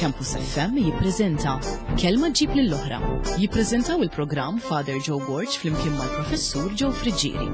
Campus FM jippreżenta Kelma ġġib lill-oħra. Jippreżentaw il-programm Father Joe Borg flimkien mal-Professur Joe Friggieri.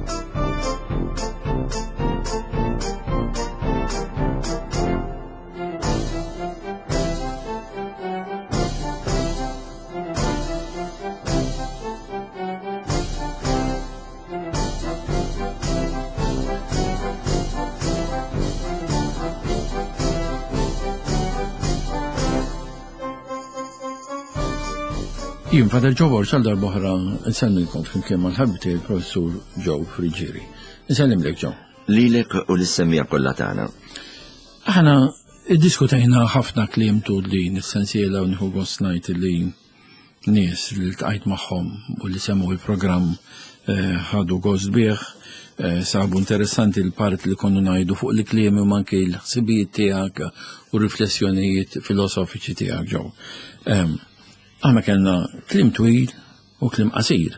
Jien Father Joe Borg għal darbohra nsellmilkom flimkien mal-ħabib tiegħi il-Professur Joe Friggieri. Nsellimlek Joe. Lilek u lis-semmiegħa kollha tagħna. Aħna iddiskutejna ħafna kliem tul din is-sensiela u nieħu gost ngħid li nies li ltqajt magħhom u li semgħu il-programm eh, ħadu gost bih, eh, sabu interessanti l-part li konna ngħidu fuq li kliem u anke l-ħsibijiet tiegħek u riflessjonijiet filosofiċi tiegħek ġew. Ehm, aħna kellna kliem twil u kliem qasir.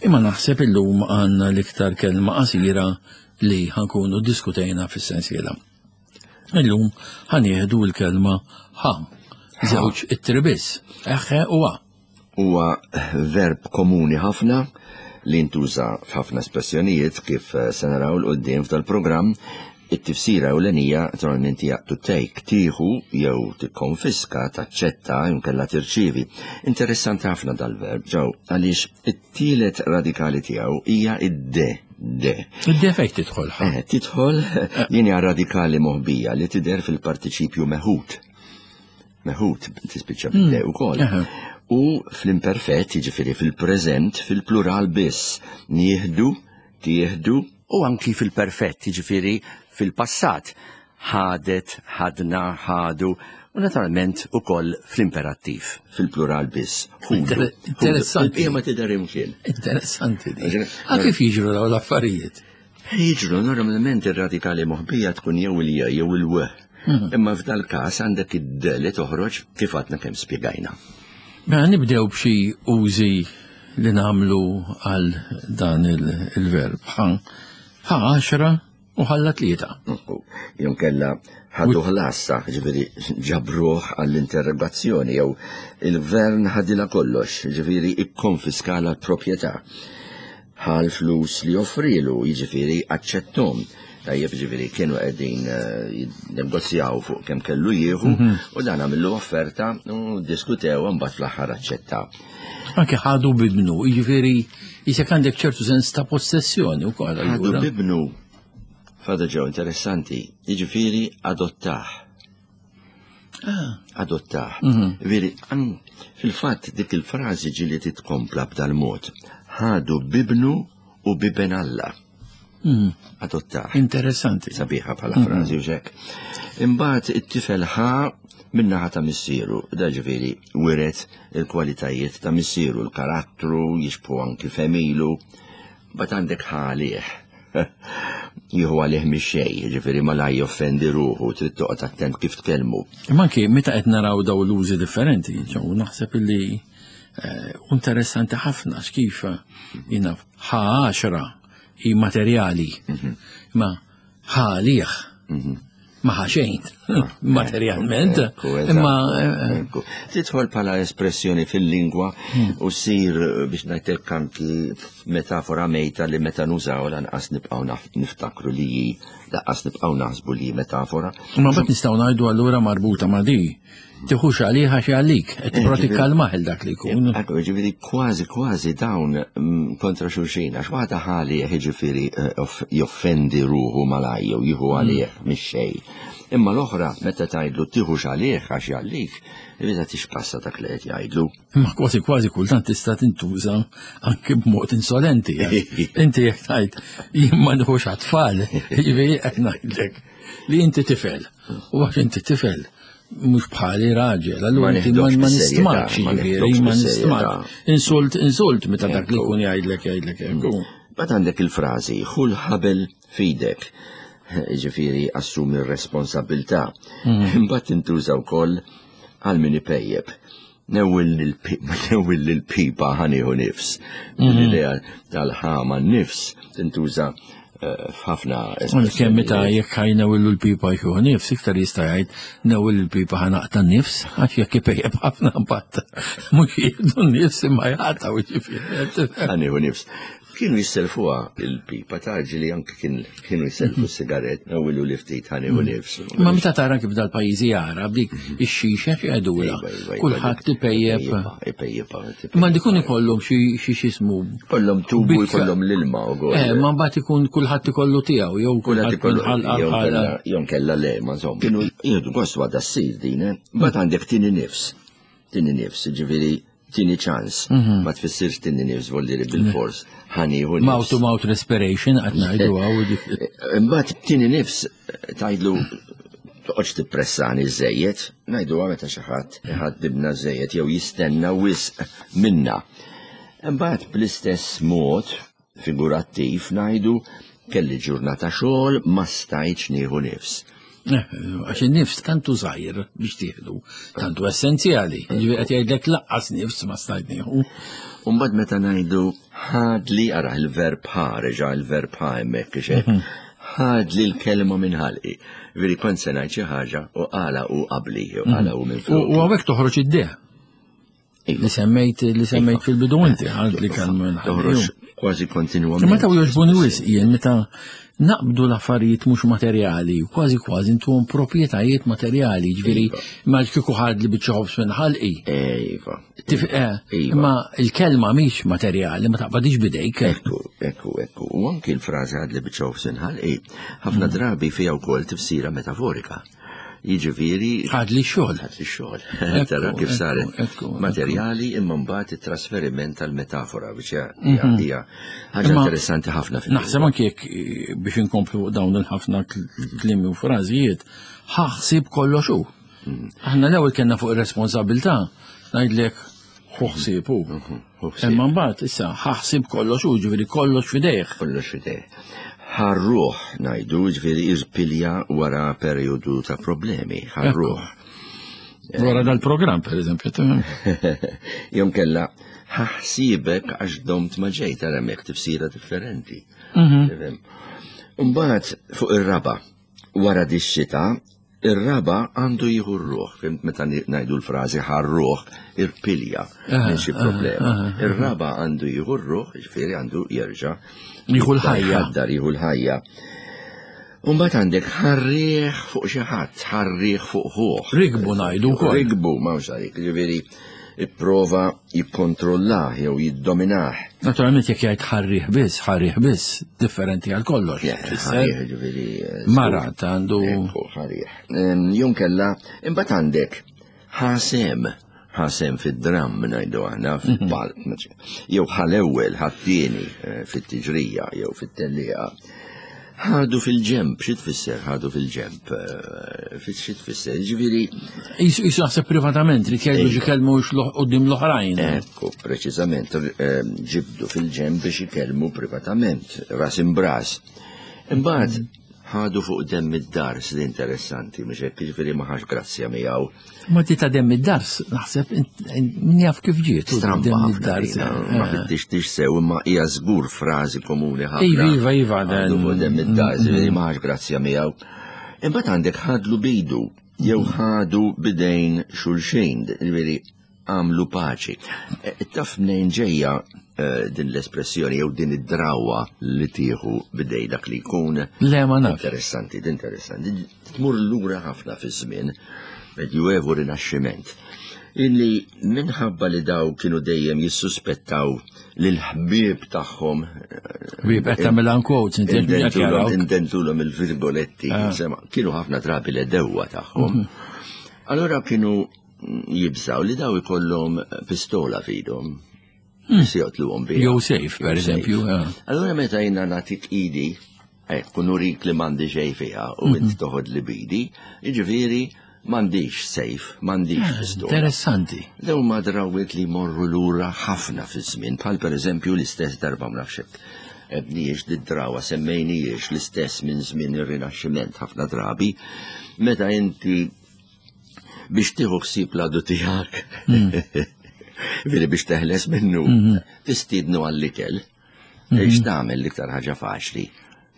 Imma naħseb illum għandna l-iktar kelma qasira li ħankunu diskutejna fis-sensiela. Illum ħanieħdu l-kelma ħa, żewġ ittri biss, eħe u a. Huwa verb komuni ħafna li ntuża f'ħafna espressjonijiet kif eh, se naraw 'l quddiem f'dal-programm. It-tifsira ewlenija naturalment hija to take, tieħu jew tikkonfiska, taċċetta jew inkella tirċievi. Interessanti ħafna dal-verb ġew għaliex it-tielet radikali tiegħu hija id-de. De. Id-de fejn tidħol? Eh, tidħol din hija radikali moħbija li tidher fil-partiċipju meħud. Meħud tispiċċa bid-de hmm. ukoll. U fl-imperfett, jiġifieri fil-preżent, fil-plural biss, nieħdu, tieħdu, u anki fil-perfett, jiġifieri fil-passat, ħadet, ħadna, ħadu, u naturalment ukoll fl-imperattiv, fil-plural biss. Interessanti. Il-bqija ma tidher imkien. Interessanti. A kif jiġru dawn l-affarijiet? Jiġru normalment ir-radikali moħbija tkun jew il-j jew il-w. Mhm. Imma f'dal-każ għandek id-d li toħroġ kif għadna kemm spjegajna. Mela nibdew b'xi użi li nagħmlu għal dan il-verb. Ħa għaxra U ħalla tlieta. Jew kella ħadu ħlassa, ġifieri ġabruh għall-interrogazzjoni jew il-gvern ħadilha kollox, ġifieri ikkonfiskala l-proprjetà. Ħa l-flus li offrilu, jiġifieri aċċettom. Tajjeb ġifieri kienu qegħdin eh, jinnegozjaw fuq kemm kellu jieħu mhm. u dan għamillu offerta u diskutew mbagħad fl-aħħar aċċetta. Anke ħadu bibnu, jiġifieri jisek għandek ċertu sens ta' possessjoni wkoll. Ħadu bibnu, Father Joe, interessanti, jiġifieri adottah. Ah. Adottah. Mhm. Veri, fil-fatt dik il-frażi ġieli titkompla b'dal-mod. Ħadu bibnu u biben Alla. Mhm. Adottah. Interessanti. Sabiħa bħala mhm. frażi u xek. Imbagħad it-tifel ħa min-naħa ta' missieru, da ġifieri wiret il-kwalitajiet ta' missieru, l-karattru, jixbħu anki femilu, bat għandek ħalih. Jieħu għalih mix-xejn, ġifieri malaj joffendi ruħu, trid toqgħod attent kif tkellmu. Imma anki meta qed naraw daw l-użi differenti, ġew naħseb illi eh, interessanti ħafna x'kif jiena ħa għaxra hi materjali. Mhm. Ma ħalih. Mhm. Ma ħaxejn, ah, materjalment. Imma. Eh, eh, Tidħol bħala espressjoni fil-lingwa hmm. u sir eh, biex ngħidlek anki metafora mejta li meta nużaw lanqas nibqgħu niftakru li hi lanqas nibqgħu naħsbu li metafora. Ma bat nistgħu ngħidu allura marbuta ma' di. Tiħux għalih għax għalik, qed tipprova eh, tikkalmah il dak li jkun. Ekku, ġifieri kważi kważi dawn mm, kontra xulxin, għax waħda ħali jiġifieri eh, joffendi ruħu malaj jew jieħu mm. għalih mhix xejn. Imma l-oħra meta tgħidlu tieħux għalih għax jgħallik, irid tixpassa dak li qed jgħidlu. Imma kważi kważi kultant tista' tintuża anke b'mod insolenti. Inti jekk tgħid jien ma nħux għat-tfal, jiġifieri qed ngħidlek li inti tifel. U għax inti tifel, mhux bħali raġel, allura inti ma nistmax, jiġifieri, ma nistmax. Insult, insult meta dak li jkun jgħidlek jgħidlek hekk. Mm. Bat għandek il-frażi, ħu l-ħabel fidek. Ġifieri assumi r-responsabilità. Mm. Imbagħad tintuża wkoll għal min ipejjeb. Newwil l-pipa ħanieħu nifs. Mm. L-idea tal-ħama nifs tintuża. f'ħafna Kemm meta jekk ħaj newillu l-pipa jieħu nifs, iktar jista' jgħid newil il-pipa ħanaqta nifs, għax jekk ipejjeb ħafna impatt. Mhux jieħdu nifs imma jaqtgħu ġifieri. Ħanieħu nifs. Kienu jisselfuha il-pipa ta' ġili anke kienu jisselfu s-sigarett, nawilu li ftit ħanieħu mm. nifs. Ma meta tara kif dal-pajjiżi Arab dik mhm. ix-xixa x'għedula. Iva, iva, iva, Kulħadd ipejjeb. Ipejjeb. Ma dikun ikollhom xi x'ismu. Kollhom tubu jkollhom l-ilma ukoll. Eh, ma mbagħad ikun kulħadd ikollu tiegħu jew kulħadd ikollu jew kella le, ma insomma. Kienu jieħdu gost għadha ssir din, eh? Mbagħad għandek tieni nifs. Tieni nifs, ġifieri tini ċans. Mhm. Ma tfissirx tini nifs voldiri bil-fors. Ħaniħu nifs. Mouth to mouth respiration qed ngħidu għaw. Imbagħad tini nifs tgħidlu toqgħodx tippressani żejjed, ngħidu meta xi ħadd iħaddibna żejjed jew jistenna wisq minna. Imbagħad bl-istess mod figurattiv ngħidu kelli ġurnata xogħol ma stajtx nieħu nifs. Eh, għax in-nifs tantu żgħir biex tieħdu, tantu essenzjali. Ġifieri qed jgħidlek laqqas nifs ma stajt nieħu. Umbagħad meta ngħidu ħadli ara il-verb ħa reġa' il-verb ħa hemmhekk ixek. Mhm. Ħadli l-kelma minn ħalqi. Veri kont se ngħid xi ħaġa u qala u qabli, u qala u minn flok. U hawnhekk toħroġ id-deh. Li semmejt li semmejt iva. fil-bidu inti għad li kan Toħroġ kważi kontinwament. Meta u jogħġbuni wisq jien meta naqbdu l-affarijiet mhux materjali, kważi kważi intuhom proprjetajiet materjali, ġifieri iva. ma kieku ħad li biċċa ħobż minn ħalqi. Iva. Eh, iva. Imma il-kelma mhix materjali, ma taqbadix bidejk. Ekku, ekku, ekku. U anki l-frażi ħad li biċċa ħobż minn ħalqi, ħafna mm. drabi fiha wkoll tifsira metaforika. Jiġifieri. Ħadli x-xogħol. Ħadli x-xogħol. Tara kif saret. Materjali imma mbagħad it-trasferiment tal-metafora biex mhm. hija ħaġa interessanti ħafna fil Naħseb anke jekk eh, biex inkomplu dawn il-ħafna kliem u frażijiet, ħaħsib kollox hu. Mhm. Aħna l-ewwel kellna fuq ir-responsabilità ngħidlek ħu ħsieb hu. Mhm, Imma mbagħad issa ħaħsib kollox hu, ġifieri kollox f'idejh. Kollox f'idejh. Ħarruh ngħidu, ġifieri irpilja wara perjodu ta' problemi, ħarruh. Wara dal-programm, per eżempju. Jom kella, ħaħsibek għax domt ma ġejt għal hemmhekk tifsira differenti. Mhm. Mbagħad fuq ir-raba, wara dix-xita, Ir-raba' għandu jieħu r-ruħ, fimt meta ngħidu l-frażi ħarruħ, irpilja minn xi problema. Ir-raba' għandu jieħu r-ruħ, jiġifieri għandu jerġa' jieħu l-ħajja. Dar jieħu l-ħajja. Umbagħad għandek ħarrieħ fuq xi ħadd, ħarrieħ fuq ħuh. Rigbu ngħidu wkoll. Rigbu, m'hawnx għalik, jiġifieri ipprova jikkontrollah jew jiddominah. Naturalment jekk jgħid ħarrieħ biss, ħarrieħ biss, differenti għal kollox. Ħarrieħ ġifieri. Eh, Marat għandu. Ħarrieħ. Jum kella, imbagħad għandek ħasem ħasem fid-dramm ngħidu aħna fil-palk, mhm. jew ħal-ewwel ħat-tieni eh, fit-tiġrija jew fit-tellieqa. Ħadu fil-ġemp, xi tfisser ħadu fil-ġemp? Eh, xi tfisser? Ġifieri. Jisu naħseb privatament li jgħidu xi kelmu quddiem l-oħrajn. Ekku, preċiżament, eh, ġibdu fil-ġemp biex ikellmu privatament, ras imbras. Imbagħad ħadu fuq demm id-dars li interessanti, mhux hekk jiġifieri ma ħax grazzja miegħu. Ma ti ta' demm id-dars, naħseb, min jaf kif ġiet. Stramba id-dars. Eh, ma fittix sew, imma hija żgur frażi komuni ħafna. Iva, iva, iva. Ħadu fuq demm id-dars, mm, mm. ma ħax grazzja miegħu. Imbagħad għandek ħadlu bidu, jew mm. ħadu bidejn xulxin, jiġifieri għamlu paċi. E, taf mnejn ġejja e, din l-espressjoni jew din id-drawa li tieħu bidej dak li jkun. Le ma naf. Interessanti, interessanti. Tmur lura ħafna fi żmien Medjuevu Rinaxximent. Illi minħabba li daw kienu dejjem jissuspettaw li l-ħbieb tagħhom. Ħbieb qed tagħmel quotes inti indentulhom il-virgoletti, ah. kienu ħafna drabi l-edewwa tagħhom. Mhm. Allora kienu jibżaw li daw ikollhom pistola f'idhom. Hmm. Se joqtluhom biha. Jew safe, per eżempju. Allura meta jiena nagħtik idi, hekk u nurik li m'għandi xejn fiha u int mhm. toħod li bidi, jiġifieri m'għandix safe, m'għandix ah, pistola. Interessanti. Dew ma drawwiet li jmorru lura ħafna fiż-żmien, bħal pereżempju l-istess darba ma nafx hekk ebnijiex d-drawa semmejnijiex l-istess minn żmien ir-Rinaxximent ħafna drabi, meta inti biex tieħu ħsieb l-għadu tiegħek. Hmm. Veri biex teħles minnu, hmm. tistiednu għall-ikel. Hmm. X'tagħmel l-iktar ħaġa faċli?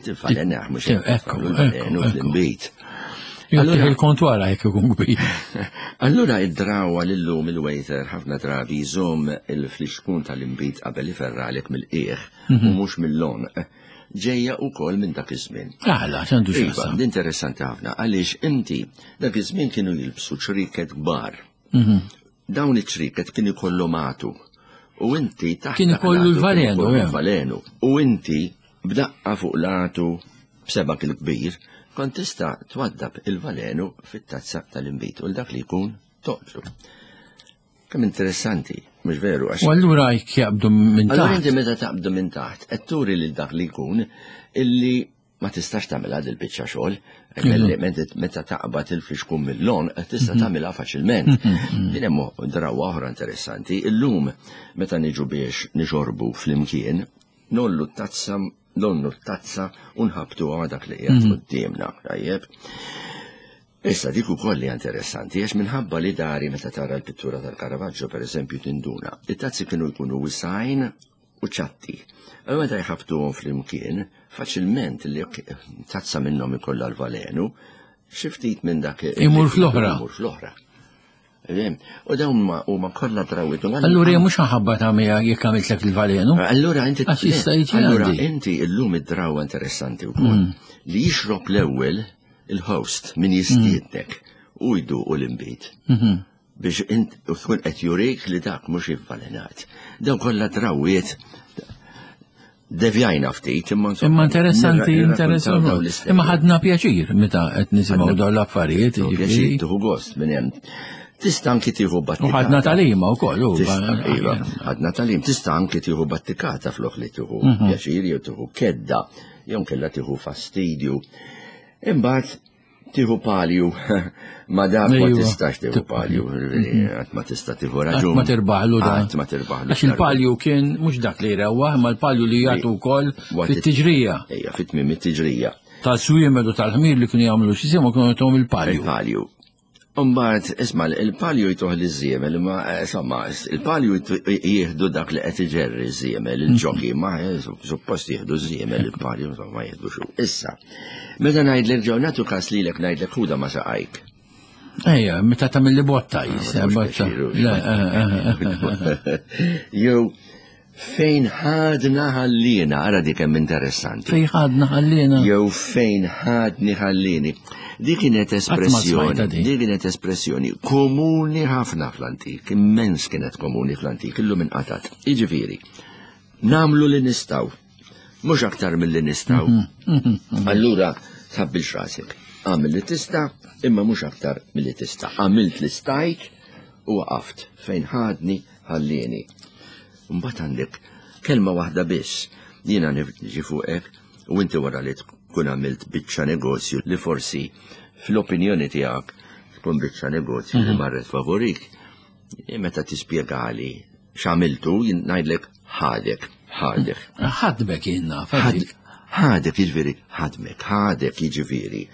Tivvalenah mhux hekk. Ekku, Allura il-kont wara jekk ikun kbir. Allura id-drawa lillum il-waiter ħafna drabi jżomm il-flixkun tal-inbid qabel iferralek mill-qiegħ u mhm. mhux mill-lon. Ġejja wkoll minn dak iż-żmien. Aħla, x'għandu iva, x'jaqsam. Interessanti ħafna għaliex inti dak iż-żmien kienu jilbsu ċriket kbar. Mhm. Dawn iċ-ċriket kien ikollhom għatu. U inti taħt Kien ikollu l-valenu, l-valenu. U inti b'daqqa fuq l-għatu b'sebak il-kbir, kont tista' twaddab il-valenu fit-tazza tal-inbid u dak li jkun toqtlu. Kemm interessanti, mhux veru għax. U allura jekk jaqbdu minn taħt. Allura inti meta taqbdu minn taħt, qed turi lil dak li jkun illi ma tistax tagħmilha dil biċċa xogħol, meta taqbad il-fixkun mill-lon, tista' mhm. tagħmilha faċilment. Mhm, mhm. Din hemm drawwa oħra interessanti, illum meta niġu biex nixorbu flimkien, nollu t-tazza nollu t-tazza u nħabtu dak li qiegħed quddiemna, tajjeb. Issa dik ukoll hija interessanti għax minħabba li dari meta tara l-pittura tal-Caravaggio pereżempju tinduna, it-tazzi kienu jkunu wisgħin u ċatti. Allura meta jħabbtuhom flimkien, faċilment li tazza minnhom ikollha l-valenu, xi ftit minn dak imur fl-oħra. Imur fl-oħra. U dawn huma kollha drawwiet. Allura mhux ħabba ta' miegħek jekk għamiltlek il-valenu. Allura inti Allura inti illum id-drawwa interessanti wkoll mm. li jixrob l-ewwel il-host min jistiednek u jduqu l-inbid. Mhm. Biex int u tkun qed jurik li dak mhux ivvalenat. Dawn kollha drawwiet devjajna ftit imma Imma interessanti, interessanti. Imma ħadna pjaċir meta qed nisimgħu dawn l-affarijiet. Pjaċir tieħu gost minn hemm. Tista' anki tieħu battikata. U ħadna talima wkoll. Iva, ħadna talim. Tista' anki tieħu battikata flok li tieħu mhm. pjaċir jew tieħu kedda jew kella tieħu fastidju. Imbagħad tieħu palju ma dak ma tistax tieħu palju, mhm. qatt ma tista' tieħu raġun. Ma tirbaħlu da. Qatt ma tirbaħlu. Għax il-palju kien mhux dak li jrewwaħ, ma l-palju li jagħtu wkoll fit-tiġrija. Ejja, fit-tmiem it-tiġrija. Tal-swiemed u tal-ħmir li kienu jagħmlu xi kienu jagħtuhom il-palju. Il-palju. Umbagħad, isma' il-palju jtuh liż-żiemel, imma eh, insomma, il-palju jieħdu dak li qed iġerri ż-żiemel, il-ġoki, ma eh, suppost jieħdu ż-żiemel il-palju, insomma, ma jieħdu xu. Issa, meta ngħidlek ġew nagħtu każ lilek ngħidlek ħuda ma saqajk. Ejja, meta tagħmel li botta jisa, botta. Eh, Jew Fejn ħadna ħallina, ara dik hemm interessanti. Fejn ħadna ħallina. Jew fejn ħadni ħallini. Di kienet espressjoni, di kienet espressjoni komuni ħafna fl-antik, immens kienet komuni fl-antik, illum inqatat. Jiġifieri, namlu li nistaw, mhux aktar mill-li nistaw. Mhm, mhm, mhm. Allura, tħabbilx rasek. Għamil li tista, imma mhux aktar mill-li tista. Għamilt li stajt u waqaft fejn ħadni ħallieni. Mbagħad għandek kelma waħda biss. Jiena niġi fuqek u inti wara li tkun għamilt biċċa negozju li forsi fl-opinjoni tiegħek tkun biċċa negozju li mhm. marret favorik. E meta tispjegali x'għamiltu ngħidlek ħadek, ħadek. Ħadmek jien naf. Ħadek jiġifieri ħadmek, ħadek jiġifieri.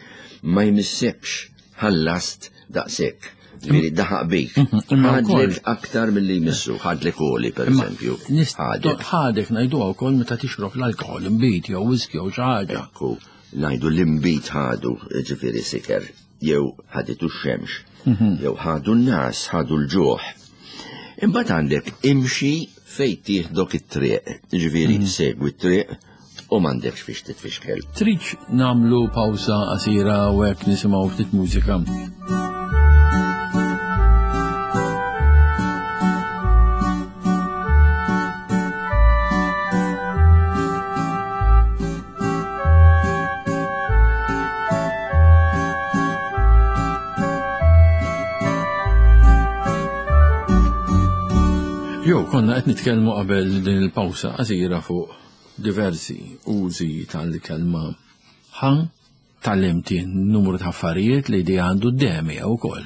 Ma jmissekx ħallast daqshekk. Ġifieri daħaq bik. Mhm, ħadlek aktar milli jmissu, ħadlek oli pereżempju. Ħadek. Ħadek ngħiduha wkoll meta tixrob l-alkoħol, imbit jew whisky jew xi ħaġa. Ekku, ngħidu l-imbit ħadu, ġifieri siker, jew ħaditu x-xemx, mhm. jew ħadu n-nas, ħadu l-ġuħ. Imbagħad għandek imxi fejn tieħdok it-triq, ġifieri mhm. segwi t-triq u m'għandekx fiex titfixkel. Tridx nagħmlu pawsa qasira u hekk nisimgħu ftit mużika? Jo, konna qed nitkellmu qabel din il-pawsa qasira fuq diversi użi tal-kelma ħa tgħallimt jien numru ta' affarijiet li di għandu d-demi wkoll.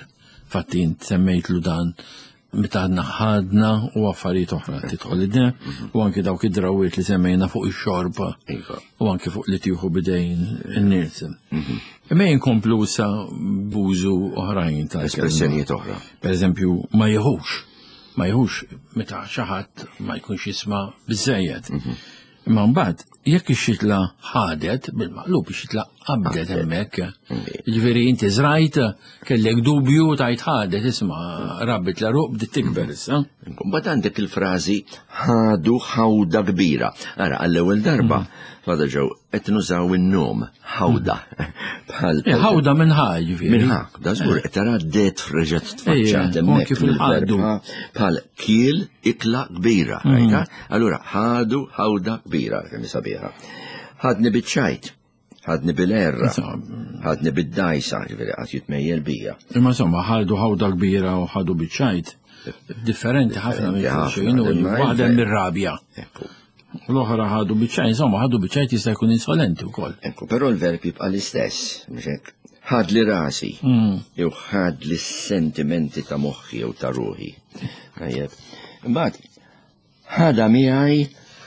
Fatti int semmejtlu dan meta għadna ħadna u affarijiet oħra tidħol id u anki dawk id-drawiet li semmejna fuq ix-xorb iva. u anki fuq li tieħu bidejn in-nies. Mhm. Imma jinkomplu sa bużu oħrajn ta' espressjonijiet oħra. Per eżempju, ma jieħux. Ma jieħux meta xi ħadd ma jkunx jisma' biżejjed. Mhm. Imma mbagħad Jekk ix-xitla ħadet, bil-maqlub ix-xitla qabdet hemmhekk. Jiġifieri inti żrajt, kellek dubju tajt ħadet, isma' rabbit l-għeruq bdiet tikber issa. Mbagħad għandek il-frażi ħadu ħawda kbira. Ara, għall-ewwel darba, Father Joe, qed nużaw in-nom ħawda. Bħal eh, ħawda minn ħa, ġifieri. Minn ħa, da żgur qed tara det reġgħet tfaċċat hemmhekk kif il-ħadu. Bħal kiel ikla kbira, rajta? Allura ħadu ħawda kbira kemm sabiħa. Ħadni biċ-ċajt, ħadni bil-erra, ħadni bid-dajsa, ġifieri qatt jitmejjel bija. Imma insomma ħadu ħawda kbira u ħadu biċ-ċajt. Differenti ħafna minn xulxin u waħda mir-rabja. U l-oħra ħadu biċ-ċajt, insomma ħadu biċ-ċajt jista' jkun insolenti wkoll. Ekku, però l-verb jibqa' l-istess, mhux hekk? Ħadli rasi, jew ħadli s-sentimenti ta' moħħi jew ta' ruħi. Tajjeb. Imbagħad ħadha miegħi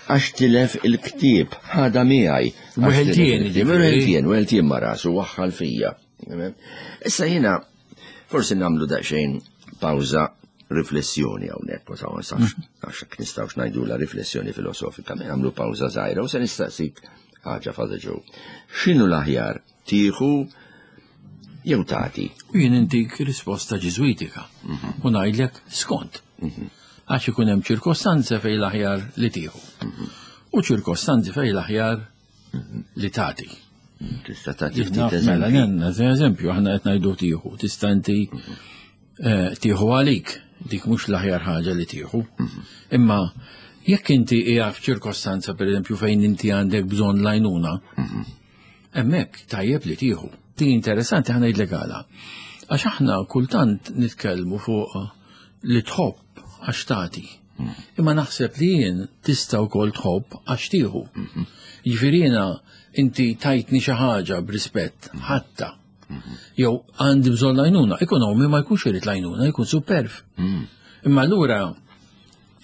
għax tilef il-ktieb, ħadha miegħi. Weħeltien, weħeltien, weħeltien ma' rasu waħħal fija. Issa jiena forsi nagħmlu daqsxejn pawża riflessjoni hawnhekk, ma nafx għax hekk nistgħux ngħidula riflessjoni filosofika, ma nagħmlu pawża żgħira u se nistaqsik ħaġa Father Joe. X'inhu l-aħjar tieħu jew tagħti? U jien intik risposta ġiżwitika mhm. u ngħidlek skont. Mhm. Għax ikun hemm ċirkostanzi fejn l-aħjar li tieħu. Mhm. U ċirkostanzi fejn l-aħjar li tagħti. Tista' tagħti ftit Mela, nenna, eżempju, aħna qed ngħidu tieħu, tista' inti eh, tieħu għalik, dik mhux l-aħjar ħaġa li tieħu. Imma jekk inti hija f'ċirkostanza pereżempju fejn inti għandek bżonn l-għajnuna, hemmhekk tajjeb li tieħu. Di interessanti ħa ngħidlek għala. Għax aħna kultant nitkellmu fuq li tħobb għax tagħti. Imma naħseb li jien tista' wkoll tħobb għax tieħu. Jiġifieri jiena inti tajtni xi ħaġa b'rispett, ħatta. Jew għandi bżonn l-għajnuna, ikun hawn ma jkunx irid l-għajnuna, jkun superf. Imma allura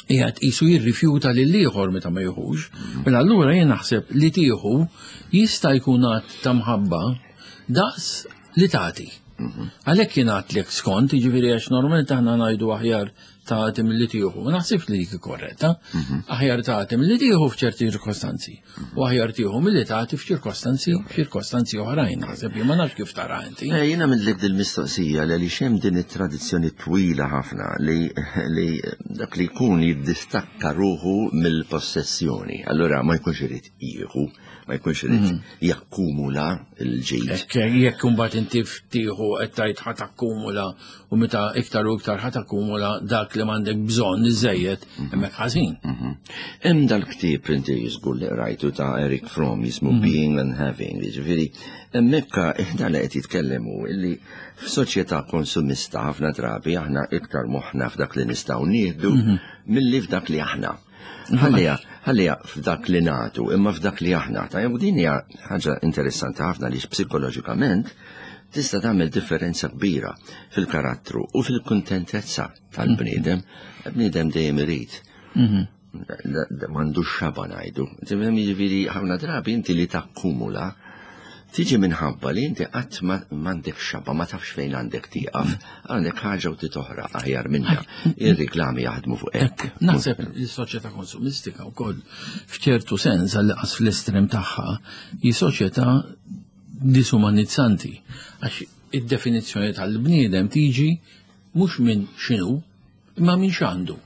qiegħed qisu jirrifjuta lil ieħor meta ma jieħux. Mela allura jien naħseb li tieħu jista' jkun att ta' mħabba daqs li tagħti. Għalhekk jien għadtlek skont, jiġifieri għax normalment aħna ngħidu aħjar tagħti milli tieħu. Ma naħsibx li dik korretta. Mhm. Aħjar tagħti milli tieħu f'ċerti ċirkostanzi. U aħjar tieħu milli tagħti f'ċirkostanzi f'ċirkostanzi oħrajn. Naħseb jien ma nafx kif tara inti. Eh, jiena minnlek dil-mistoqsija li għaliex hemm din it-tradizzjoni twila ħafna li li dak li jkun jiddistakka ruħu mill-possessjoni. Allura ma jkunx irid jieħu ma jkunx irid mhm. jakkumula l-ġid. Jekk imbagħad inti ftieħu qed tgħid ħa takkumula u meta iktar u iktar ħa takkumula dak li m'għandek bżonn iżejjed mhm. hemmhekk ħażin. Mhm. Hemm dal-ktieb inti żgur li qrajtu ta' Eric Fromm jismu Being and Having, jiġifieri hemmhekk dan li qed jitkellem hu illi f'soċjetà konsumista ħafna drabi aħna iktar moħħna f'dak li nistgħu nieħdu milli f'dak li aħna. Ħalliha, ħalliha f'dak li nagħtu, imma f'dak li aħna. Ta' u din hija ħaġa interessanti ħafna li psikoloġikament tista' tagħmel differenza kbira fil-karattru u fil-kuntentezza tal-bniedem. Bniedem dejjem irid. Mhm. M'għandux xaba ngħidu. Jiġifieri ħafna drabi inti li takkumula Tiġi minħabba li inti qatt m'għandek xaba, ma tafx fejn għandek tieqaf, għandek ħaġa u titoħra aħjar minnha. Ir-riklami jaħdmu fuq hekk. Naħseb li s-soċjetà konsumistika wkoll f'ċertu sens għal qas fl-estrem tagħha hi soċjetà disumanizzanti għax id-definizzjoni tal-bniedem tiġi mhux minn x'inhu imma minn x'għandu.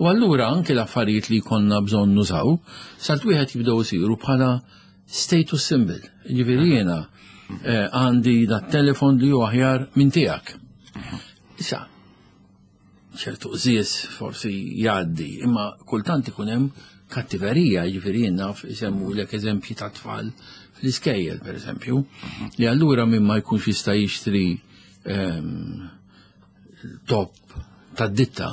U allura anke l-affarijiet li jkollna bżonn nużaw, salt wieħed jibdew isiru bħala status symbol. Ġifieri jiena eh, għandi dat telefon li hu aħjar minn tiegħek. Issa, ċertu qżies forsi jgħaddi, imma kultant ikun hemm kattiverija, ġifieri jien naf isemmulek eżempji ta' tfal fl-iskejjel, per eżempju, li allura minn ma jkunx jista' jixtri ehm, top tad-ditta,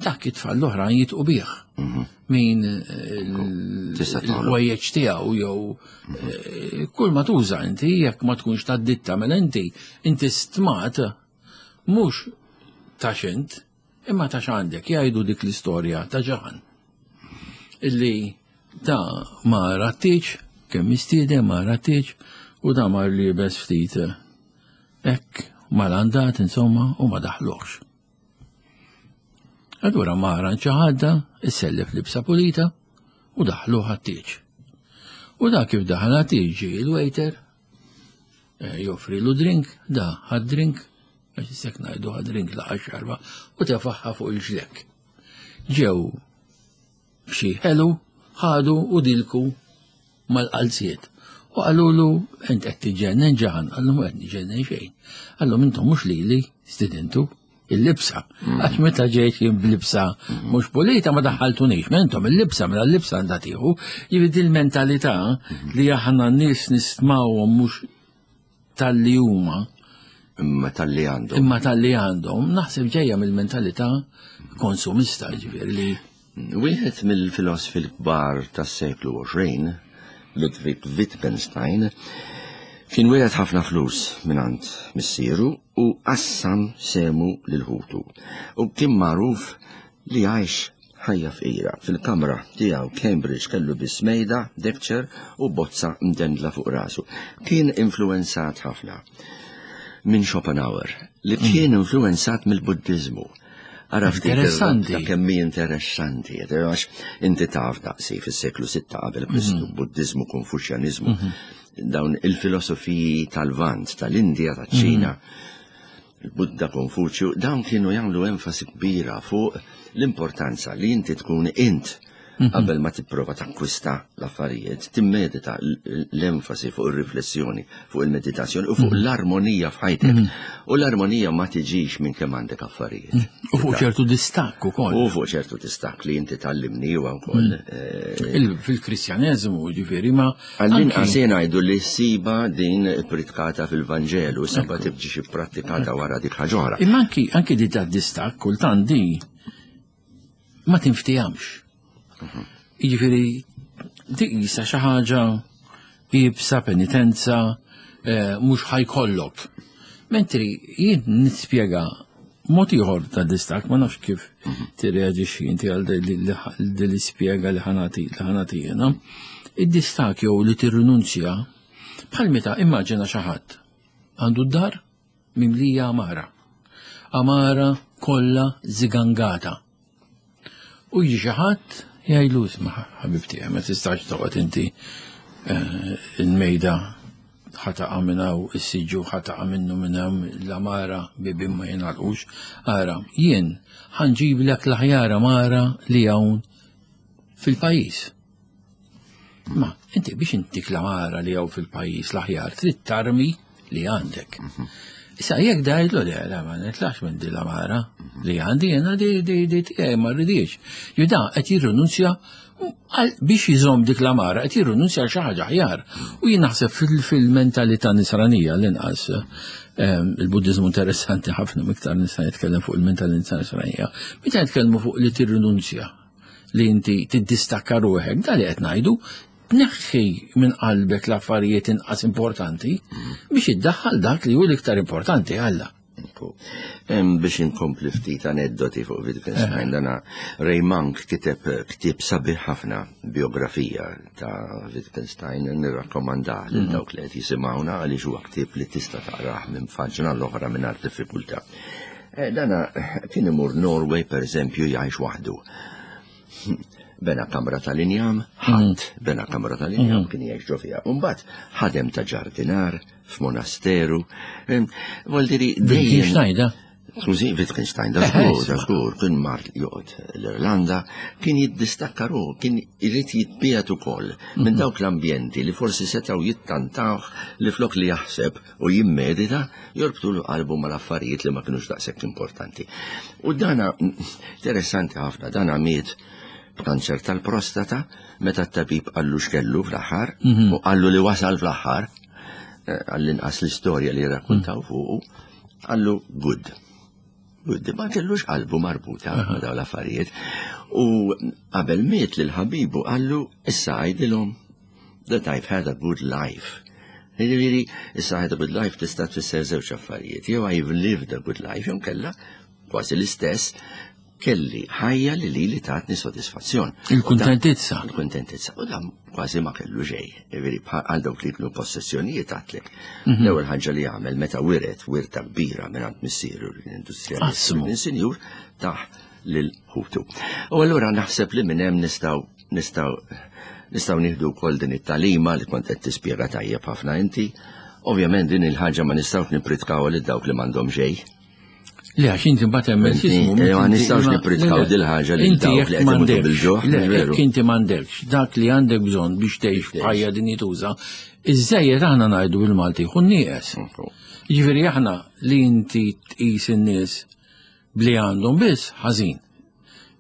dak it-tfal l-oħrajn jitqu bih. Mhm. Min eh, l-ħwejjeġ tiegħu jew mhm. eh, kull ma tuża inti jekk ma tkunx tad-ditta mela inti inti stmat mhux ta' xint imma ta' x'għandek jgħidu dik l-istorja ta' ġaħan. Illi da ma rattiċ, kemm mistieden ma rattiċ u da mar libes ftit eh, Hekk malandat insomma u ma daħluhx. Allura mara ċaħadda, issellef libsa pulita u daħluh għat-tieġ. U da kif daħal tiġi il-waiter, eh, joffrilu drink, da ħad drink, għax issek ngħidu ħad drink laqa xarba, u tefaħħa fuq il-ġlek. Ġew xi ħelu, ħadu u dilku mal-qalziet. U qalulu int qed tiġġennen ġaħan, qallu mhu qed niġġennen xejn. Qallhom intom mhux lili stidintu il-libsa. Għax meta ġejt jien b'libsa mhux pulita ma daħħaltunix, ma intom il-libsa mela l-libsa għandha tieħu. Jiġifieri il-mentalità li aħna nies nistmawhom mhux tal-li huma. Imma tal-li għandhom. Imma tal-li għandhom, naħseb ġejja mill-mentalità konsumista, ġifieri li. Wieħed mill-filosfi l-kbar tas-seklu 20, Ludwig Wittgenstein, kien wiret ħafna flus mingħand missieru u qassam sehmu lil ħutu. U kien magħruf li għajx ħajja fqira. Fil-kamra tiegħu Cambridge kellu biss mejda, deckchair u bozza mdendla fuq rasu. Kien influwenzat ħafna minn Schopenhauer, li kien influwenzat mill-Buddiżmu. Ara ftit Interessanti. ta' kemm hi interessanti, għax inti taf daqsi fis-seklu 6 qabel Kristu, Buddiżmu, Konfuċjaniżmu, dawn il-filosofiji tal-Lvant, tal-Indja, taċ-Ċina, il-Budda, Konfuċju, dawn kienu jagħmlu enfasi kbira fuq l-importanza li inti tkun int qabel ma tipprova takkwista l-affarijiet, timmedita l-enfasi fuq ir-riflessjoni, fuq il-meditazzjoni u fuq l-armonija f'ħajtek. U l-armonija ma tiġix minn kemm għandek affarijiet. U fuq ċertu distakk ukoll. U fuq ċertu distakk li inti tgħallimni huwa wkoll. Fil-Kristjaneżmu, ġifieri ma Għall-inqas ngħidu li siba din ippritkata fil-Vanġelu, seba tibġi xi prattikata wara dik ħaġa oħra. Imma anki anki di ta' distakk kultant di ma tinftijamx. Jiġifieri di qisha xi ħaġa iebsa penitenza eh, mhux ħajkollok. Mentri jien nispjega mod ieħor ta' distakk, ma nafx kif tirreaġixxi inti għal din l-ispjega li ħanati li ħanati jiena. Id-distakk jew li tirrinunzja bħal meta immaġina xi ħadd għandu d-dar mimlija għamara. Għamara kollha zigangata. U jiġi xi ħadd jgħidlu isma' ħabib tiegħi ma tistax toqgħod inti eh, il-mejda ħataqa' minn hawn, is-siġġu ħataqa' minnu minn hemm, l-għamara bibien ma jingħalqux. Ara, jien ħanġiblek l-aħjar għamara li hawn fil-pajjiż. Ma inti biex intik l-għamara li hawn fil-pajjiż l-aħjar trid tarmi li għandek. Issa jekk dajtlu le, le ma nitlax minn din l-għamara li għandi jiena di di di tiegħi ma rridix. Juda qed jirrinunzja biex jżomm dik l-għamara qed jirrinunzja għal xi ħaġa aħjar. U jien naħseb fil-mentalità nisranija l-inqas ehm, il-Buddiżmu interessanti ħafna miktar nista' nitkellem fuq il-mentalità nisranija. Meta nitkellmu fuq li tirrinunzja li inti tiddistakka ruħek, da li qed ngħidu, tneħħi minn qalbek l-affarijiet inqas importanti biex iddaħħal dak li hu l-iktar importanti Alla. Biex inkompli ftit aneddoti fuq Wittgenstein, eh. dana Ray Monk kiteb ktieb sabiħ ħafna biografija ta' Wittgenstein, nirrakkomandah lil mhm. dawk li qed jisimgħuna għaliex huwa ktieb li tista' taqrah minn faġna l-oħra mingħajr diffikultà. Eh, dana kien imur Norway per eżempju jgħix waħdu. Bena kamra tal-injam, ħadd mhm. bena kamra tal-injam mhm. kien jgħix ġo fiha. Mbagħad ħadem ta' ġardinar f'monasteru. Vuol diri dejjem. Skużi, Wittgenstein, da żgur, da żgur, kien mar joqgħod l-Irlanda, kien jiddistakka ruħu, kien irid jitbiegħed ukoll minn mhm. dawk l-ambjenti li forsi setgħu jittantawh li flok li jaħseb u jimmedita jorbtulu qalbu mal-affarijiet li ma kinux daqshekk importanti. U dana interessanti ħafna, dana miet b'kanċer tal-prostata meta t-tabib qallu x'kellu fl-aħħar mhm. u qallu li wasal fl-aħħar eh, għall-inqas l-istorja li rakkuntaw mhm. fuqu, qallu good. Good, ma kellux qalbu marbuta ma' dawn l-affarijiet. U qabel miet lil ħabibu qallu issa għidilhom that I've had a good life. Jiġifieri, issa had a good life tista' tfisser żewġ affarijiet. Jew I've lived a good life, jew kella kważi l-istess kelli ħajja li li li tatni sodisfazzjon. Il-kuntentizza. Il-kuntentizza. U dan kważi ma kellu xejn. Jiġifieri għal dawk li kienu possessjonijiet għatlek. Mhm. L-ewwel ħaġa li għamel meta wiret wirta kbira minn għand missieru l-industrijalist minn sinjur taħ lil ħutu. U allura naħseb li minn hemm nistgħu nistgħu Nistgħu nieħdu wkoll din it-tagħlima li kont qed tispjega tajjeb ħafna inti. Ovvjament din il-ħaġa ma nistgħux nippritkaw lil dawk li m'għandhom xejn. Le, għax inti mbagħad hemm x'ismu. Eh, ma nistgħux nippritkaw dil ħaġa li dawk li qed imutu bil-ġuħ. Le, jekk inti m'għandekx dak li għandek bżonn biex tgħix ħajja dinjituża, iż-żejjed aħna ngħidu bil-Malti jkun nieqes. Jiġifieri aħna li inti tqis in-nies bli għandhom biss ħażin.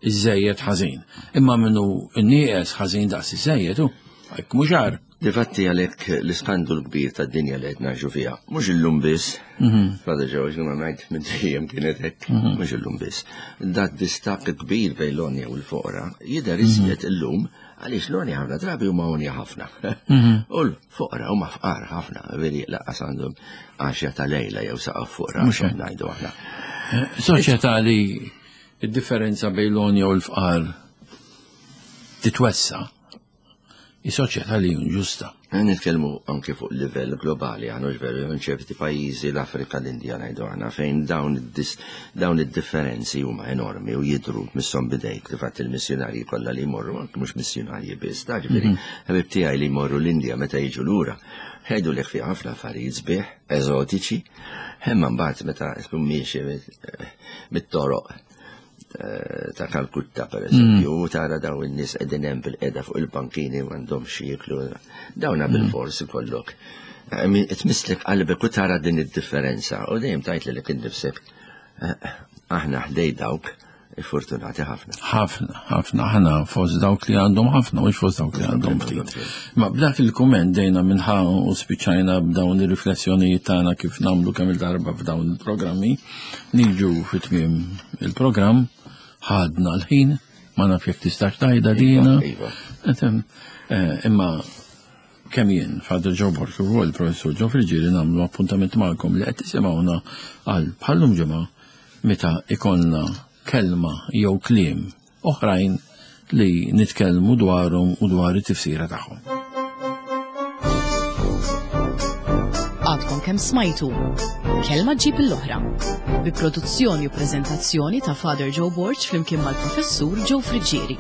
Iż-żejjed ħażin. Imma minnu n-nieqes ħażin daqs iż-żejjed hu. Hekk mhux għar. Difatti għalhekk l-iskandlu l-kbir tad-dinja li qed ngħixu fiha, mhux illum biss, mhm. Father George, ma ngħid minn dejjem kienet hekk, mhm. mhux illum biss. Dak distakk kbir bejn l-onja u l-foqra jidher mhm. iżjed illum għaliex l-onja ħafna drabi huma onja ħafna. U l-foqra huma fqar ħafna, veri laqqas għandhom għaxja ta' lejla jew saqaf fuq rashom ngħidu aħna. Eh, soċjetà li id-differenza bejn l-onja u l-fqar titwessa' hi soċjetà li inġusta. Nitkellmu anke fuq livell globali, għanu veru, minn ċerti pajjiżi l-Afrika, l-Indja ngħidu aħna fejn dawn id-differenzi huma enormi u jidru misshom bidejk li fatt il-missjunarji kollha li jmorru, anke mhux missjunarji biss, ta' ġifieri mhm. ħabib tiegħi li jmorru l-Indja meta jiġu lura, jgħidu li fi ħafna affarijiet sbieħ, eżotiċi, imma mbagħad meta tkun miexi mit-toroq Eh, ta' Kalkutta per eżempju, mm. tara daw in-nies qegħdin hemm bil-qeda fuq il-bankini u għandhom xi jieklu. Dawna mm. bil-fors ikollok. Eh, tmisslek qalbek u tara din id-differenza u dejjem tajt li innifsek eh, aħna ħdej dawk fortunati ħafna. Ħafna, ħafna, ħana fost dawk li għandhom ħafna, mhux fost dawk li għandhom ftit. Ma b'dak il-kumment dejna minnħa u spiċċajna b'dawn ir-riflessjonijiet tagħna kif nagħmlu kemm il-darba f'dawn il-programmi. Niġu fi tmiem il-programm, ħadna l-ħin, ma naf jekk tistax tgħidha dina. Iva, iva. Eh, imma kemm jien, Father Joe Borg u il-Professur Joe Friġieri nagħmlu appuntament magħkom li qed tisimgħuna għal bħallum ġimgħa meta ikollna kelma jew kliem oħrajn li nitkellmu dwarhom u dwar it-tifsira tagħhom. Għadkom kemm smajtu Kelma ġib l-oħra bi produzzjoni u preżentazzjoni ta' Father Joe Borg flimkien mal-Professur Joe Friggieri.